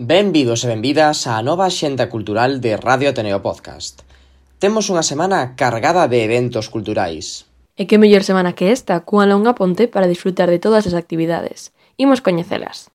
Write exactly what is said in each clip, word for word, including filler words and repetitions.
Benvidos e benvidas á nova axenda cultural de Radio Ateneo Podcast. Temos unha semana cargada de eventos culturais. E que mellor semana que esta, cunha longa ponte para disfrutar de todas as actividades. Imos coñecelas.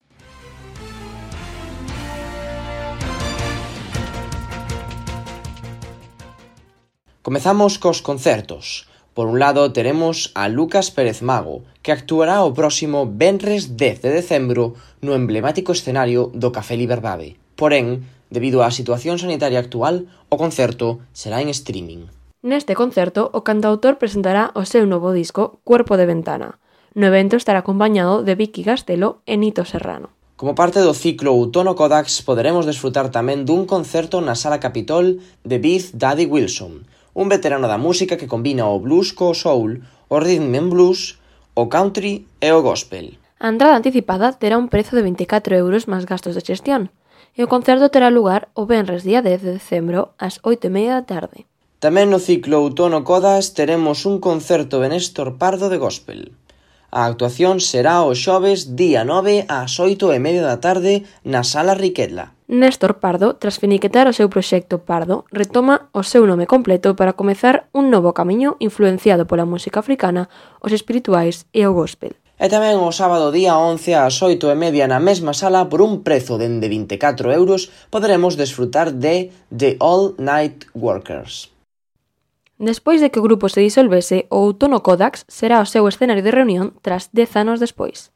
Comezamos cos concertos. Por un lado, teremos a Lucas Pérez Mago, que actuará o próximo venres dez de decembro no emblemático escenario do Café Liberdade. Porén, debido á situación sanitaria actual, o concerto será en streaming. Neste concerto, o cantautor presentará o seu novo disco Cuerpo de Ventana. No evento estará acompañado de Vicky Castelo e Nito Serrano. Como parte do ciclo Outono Kodax, poderemos desfrutar tamén dun concerto na Sala Capitol de Beat Daddy Wilson, un veterano da música que combina o blues co soul, o rhythm and blues, o country e o gospel. A entrada anticipada terá un prezo de veinticatro euros máis gastos de xestión, e o concerto terá lugar o venres día dez de decembro ás oito e media da tarde. Tamén no ciclo Outono Kodax teremos un concerto de Néstor Pardo de gospel. A actuación será o xoves día nove ás oito e media da tarde na Sala Riquetla. Néstor Pardo, tras finiquetar o seu proxecto Pardo, retoma o seu nome completo para comezar un novo camiño influenciado pola música africana, os espirituais e o gospel. E tamén o sábado día once ás oito e media na mesma sala, por un prezo dende vinte e catro euros, poderemos desfrutar de The All Night Workers. Despois de que o grupo se disolvese, o Outono Kodax será o seu escenario de reunión tras dez anos despois.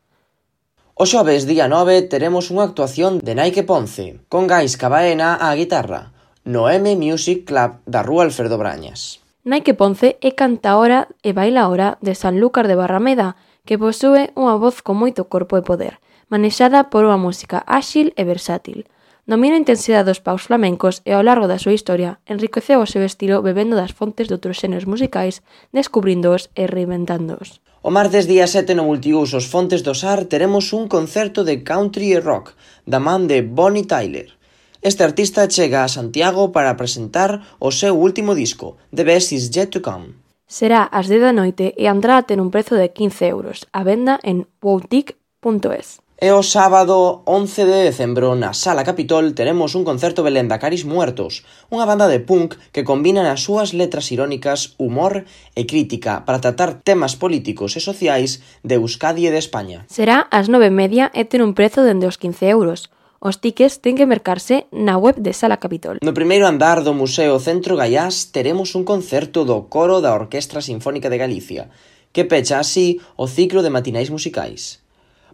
O xoves día nove teremos unha actuación de Nike Ponce, con Gaisca Baena á guitarra, no M Music Club da Rúa Alfredo Brañas. Nike Ponce é cantaora e bailaora de Sanlúcar de Barrameda, que posúe unha voz con moito corpo e poder, manexada por unha música áxil e versátil. Domina a intensidade dos paus flamencos e ao largo da súa historia enriqueceu o seu estilo bebendo das fontes de outros xéneros musicais, descubríndoos e reinventándoos. O martes día sete no Multiusos Fontes do Sar teremos un concerto de country e rock da man de Bonnie Tyler. Este artista chega a Santiago para presentar o seu último disco, The Best Is Yet To Come. Será ás dez da noite e a entrada ten un prezo de quince euros, a venda en woutic punto es. E o sábado once de decembro na Sala Capitol teremos un concerto Belén da Caris Muertos, unha banda de punk que combina nas súas letras irónicas humor e crítica para tratar temas políticos e sociais de Euskadi e de España. Será ás nove e media e ten un prezo dende os quince euros. Os tickets ten que mercarse na web de Sala Capitol. No primeiro andar do Museo Centro Gaiás teremos un concerto do coro da Orquestra Sinfónica de Galicia, que pecha así o ciclo de matinais musicais.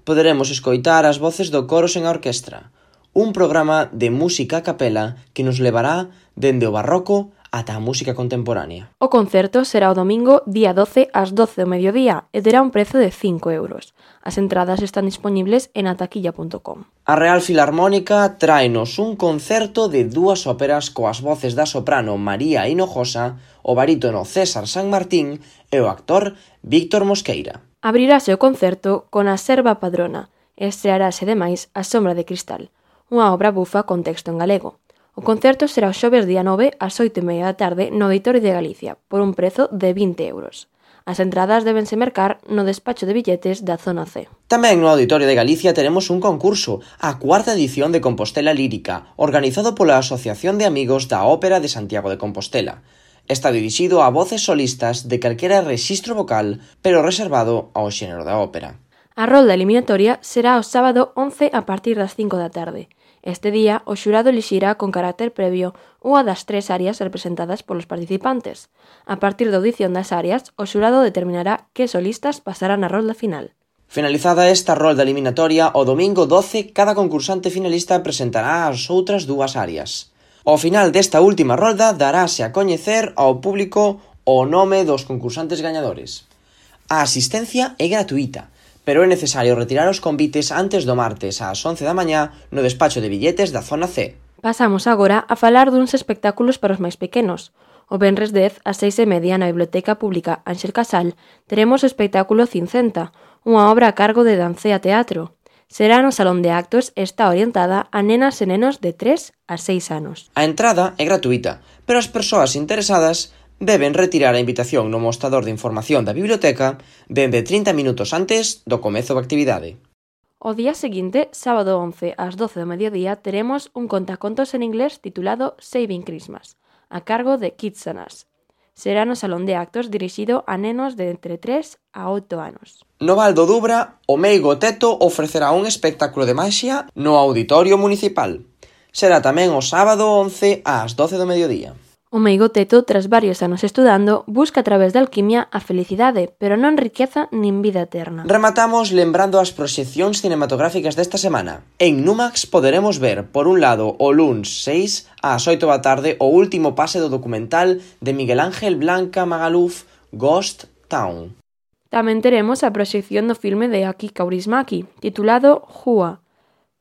Poderemos escoitar as voces do coro sen a orquestra, un programa de música a capela que nos levará dende o barroco ata a música contemporánea. O concerto será o domingo día doce ás doce do mediodía e terá un prezo de cinco euros. As entradas están disponibles en ataquilla punto com. A Real Filarmónica tráenos un concerto de dúas óperas coas voces da soprano María Hinojosa, o barítono César San Martín e o actor Víctor Mosqueira. Abrirase o concerto con A Serva Padrona e estrearase demais A Sombra de Cristal, unha obra bufa con texto en galego. O concerto será o xoves día nove ás oito e media da tarde no Auditorio de Galicia, por un prezo de vinte euros. As entradas débense mercar no despacho de billetes da Zona C. Tamén no Auditorio de Galicia teremos un concurso, a cuarta edición de Compostela Lírica, organizado pola Asociación de Amigos da Ópera de Santiago de Compostela. Está dirixido a voces solistas de calquera rexistro vocal, pero reservado ao xénero da ópera. A rolda eliminatoria será o sábado once a partir das cinco da tarde. Este día, o xurado elixirá con carácter previo unha das tres áreas representadas polos participantes. A partir da audición das áreas, o xurado determinará que solistas pasarán a rolda final. Finalizada esta rolda eliminatoria, o domingo doce, cada concursante finalista presentará as outras dúas áreas. Ao final desta última rolda darase a coñecer ao público o nome dos concursantes gañadores. A asistencia é gratuita, pero é necesario retirar os convites antes do martes ás once da mañá no despacho de billetes da Zona C. Pasamos agora a falar duns espectáculos para os máis pequenos. O venres dez ás seis e media na Biblioteca Pública Ángel Casal teremos o espectáculo Cincenta, unha obra a cargo de Dancea Teatro. Será no Salón de Actos e está orientada a nenas e nenos de tres a seis anos. A entrada é gratuita, pero as persoas interesadas deben retirar a invitación no mostrador de información da biblioteca dende trinta minutos antes do comezo da actividade. O día seguinte, sábado once ás doce do mediodía, teremos un contacontos en inglés titulado Saving Christmas, a cargo de Kids and Us. Será no salón de actos dirixido a nenos de entre tres a oito anos. No Val do Dubra, o Meigo Teto ofrecerá un espectáculo de maxia no Auditorio Municipal. Será tamén o sábado once ás doce do mediodía. O Meigo Teto, tras varios anos estudando, busca a través da alquimia a felicidade, pero non riqueza nin vida eterna. Rematamos lembrando as proxeccións cinematográficas desta semana. En Numax poderemos ver, por un lado, o luns seis ás oito da tarde o último pase do documental de Miguel Ángel Blanca Magaluf, Ghost Town. Tamén teremos a proxección do filme de Aki Kaurismäki, titulado Jua.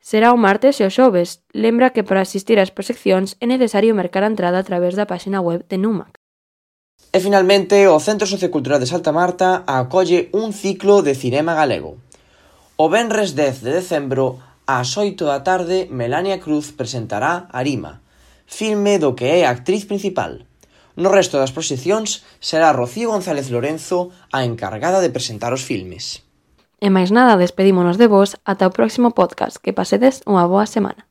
Será o martes e o xoves. Lembra que para asistir ás proxeccións é necesario mercar a entrada a través da páxina web de Numax. E finalmente, o Centro Sociocultural de Santa Marta acolle un ciclo de cinema galego. O venres dez de decembro, ás oito da tarde, Melania Cruz presentará Arima, filme do que é a actriz principal. No resto das proxeccións será Rocío González Lorenzo a encargada de presentar os filmes. E máis nada, despedímonos de vos ata o próximo podcast. Que pasedes unha boa semana.